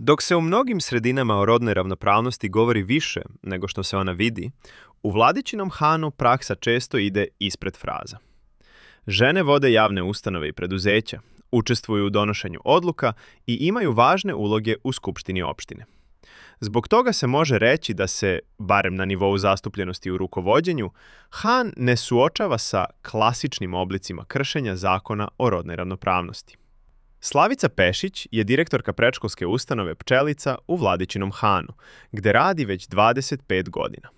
Dok se u mnogim sredinama o rodnoj ravnopravnosti govori više nego što se ona vidi, u Vladičinom Hanu praksa često ide ispred fraza. Žene vode javne ustanove i preduzeća, učestvuju u donošenju odluka i imaju važne uloge u skupštini opštine. Zbog toga se može reći da se, barem na nivou zastupljenosti u rukovođenju, Han ne suočava sa klasičnim oblicima kršenja zakona o rodnoj ravnopravnosti. Slavica Pešić je direktorka predškolske ustanove Pčelica u Vladičinom Hanu, gde radi već 25 godina.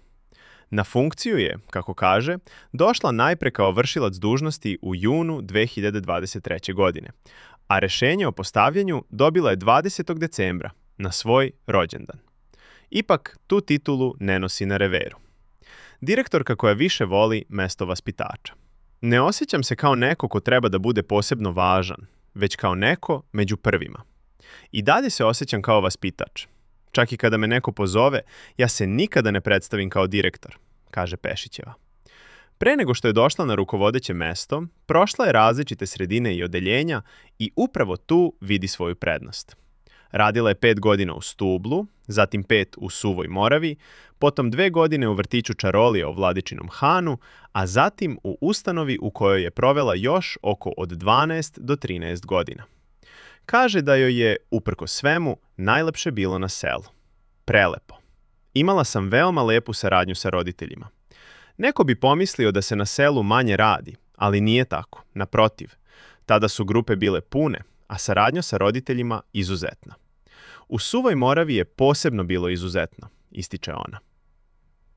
Na funkciju je, kako kaže, došla najpre kao vršilac dužnosti u junu 2023. godine, a rešenje o postavljanju dobila je 20. decembra, na svoj rođendan. Ipak, tu titulu ne nosi na reveru. Direktorka koja više voli mesto vaspitača. Ne osjećam se kao neko ko treba da bude posebno važan, već kao neko među prvima. I dalje se osjećam kao vaspitač. Čak i kada me neko pozove, ja se nikada ne predstavim kao direktor, kaže Pešićeva. Pre nego što je došla na rukovodeće mesto, prošla je različite sredine i odeljenja i upravo tu vidi svoju prednost. Radila je 5 godina u Stublu, zatim 5 u Suvoj Moravi, potom 2 godine u vrtiću Čarolija u Vladičinom Hanu, a zatim u ustanovi u kojoj je provela još oko od 12 do 13 godina. Kaže da joj je, uprkos svemu, najlepše bilo na selu. Prelepo. Imala sam veoma lepu saradnju sa roditeljima. Neko bi pomislio da se na selu manje radi, ali nije tako, naprotiv. Tada su grupe bile pune, a saradnja sa roditeljima izuzetna. U Suvoj Moravi je posebno bilo izuzetno, ističe ona.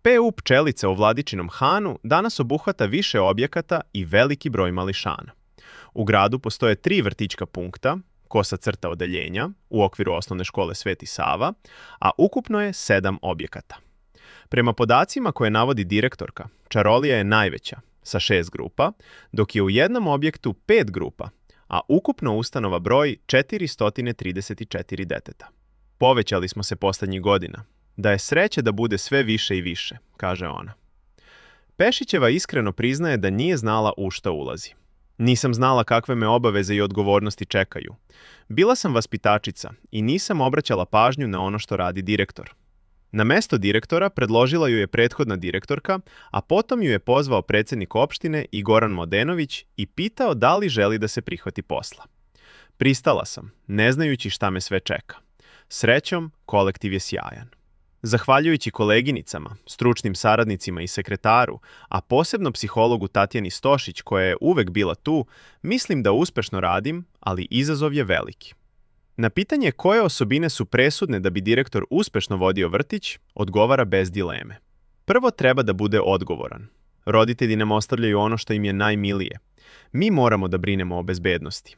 PU Pčelica u Vladičinom Hanu danas obuhvata više objekata i veliki broj mališana. U gradu postoje 3 vrtićka punkta, kosa crta odeljenja, u okviru osnovne škole Sveti Sava, a ukupno je 7 objekata. Prema podacima koje navodi direktorka, Čarolija je najveća, sa 6 grupa, dok je u jednom objektu 5 grupa, a ukupno ustanova broji 434 deteta. Povećali smo se poslednjih godina. Da je sreće da bude sve više i više, kaže ona. Pešićeva iskreno priznaje da nije znala u šta ulazi. Nisam znala kakve me obaveze i odgovornosti čekaju. Bila sam vaspitačica i nisam obraćala pažnju na ono što radi direktor. Na mesto direktora predložila ju je prethodna direktorka, a potom ju je pozvao predsjednik opštine i Goran Modenović i pitao da li želi da se prihvati posla. Pristala sam, ne znajući šta me sve čeka. Srećom, kolektiv je sjajan. Zahvaljujući koleginicama, stručnim saradnicima i sekretaru, a posebno psihologu Tatjani Stošić koja je uvek bila tu, mislim da uspešno radim, ali izazov je veliki. Na pitanje koje osobine su presudne da bi direktor uspešno vodio vrtić, odgovara bez dileme. Prvo treba da bude odgovoran. Roditelji nam ostavljaju ono što im je najmilije. Mi moramo da brinemo o bezbednosti.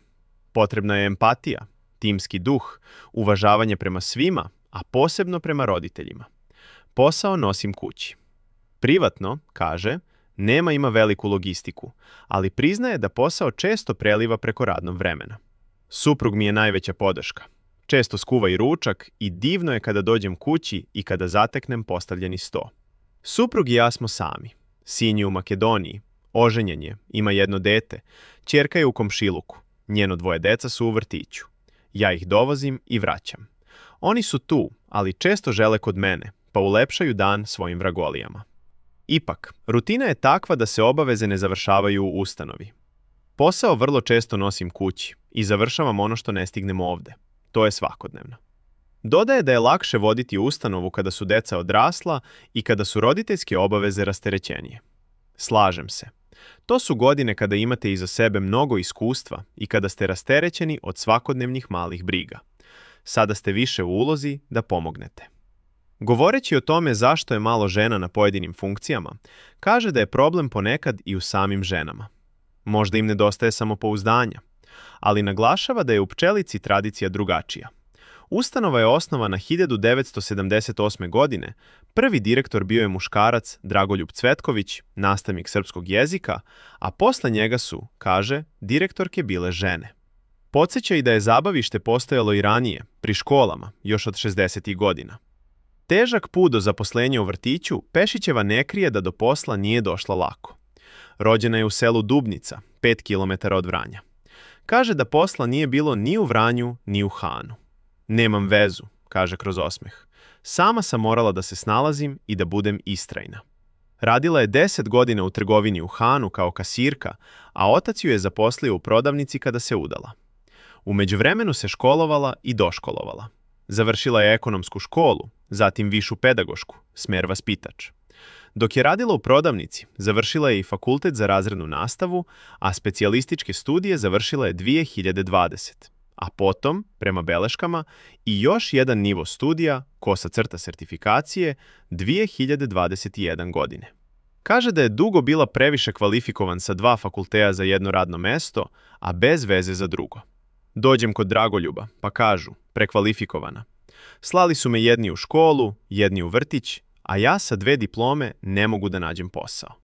Potrebna je empatija, timski duh, uvažavanje prema svima, a posebno prema roditeljima. Posao nosim kući. Privatno, kaže, ima veliku logistiku, ali priznaje da posao često preliva preko radnog vremena. Suprug mi je najveća podrška. Često skuva i ručak i divno je kada dođem kući i kada zateknem postavljeni sto. Suprug i ja smo sami. Sin je u Makedoniji, oženjen je, ima jedno dete, ćerka je u komšiluku, njeno 2 deca su u vrtiću. Ja ih dovozim i vraćam. Oni su tu, ali često žele kod mene, pa ulepšaju dan svojim vragolijama. Ipak, rutina je takva da se obaveze ne završavaju u ustanovi. Posao vrlo često nosim kući i završavam ono što ne stignem ovde. To je svakodnevno. Dodaje da je lakše voditi ustanovu kada su deca odrasla i kada su roditeljske obaveze rasterećenije. Slažem se. To su godine kada imate iza sebe mnogo iskustva i kada ste rasterećeni od svakodnevnih malih briga. Sada ste više u ulozi da pomognete. Govoreći o tome zašto je malo žena na pojedinim funkcijama, kaže da je problem ponekad i u samim ženama. Možda im nedostaje samopouzdanja, ali naglašava da je u Pčelici tradicija drugačija. Ustanova je osnovana 1978. godine, prvi direktor bio je muškarac Dragoljub Cvetković, nastavnik srpskog jezika, a posle njega su, kaže, direktorke bile žene. Podseća i da je zabavište postojalo i ranije, pri školama, još od 60. godina. Težak put do zaposlenja u vrtiću, Pešićeva ne krije da do posla nije došla lako. Rođena je u selu Dubnica, 5 km od Vranja. Kaže da posla nije bilo ni u Vranju, ni u Hanu. Nemam vezu, kaže kroz osmeh. Sama sam morala da se snalazim i da budem istrajna. Radila je 10 godina u trgovini u Hanu kao kasirka, a otac ju je zaposlio u prodavnici kada se udala. U međuvremenu se školovala i doškolovala. Završila je ekonomsku školu, zatim višu pedagošku, smer vaspitač. Dok je radila u prodavnici, završila je i fakultet za razrednu nastavu, a specijalističke studije završila je 2020. A potom, prema beleškama, i još jedan nivo studija, kosa crta sertifikacije, 2021 godine. Kaže da je dugo bila previše kvalifikovan sa 2 fakulteta za jedno radno mesto, a bez veze za drugo. Dođem kod Dragoljuba, pa kažu, prekvalifikovana. Slali su me jedni u školu, jedni u vrtić, a ja sa 2 diplome ne mogu da nađem posao.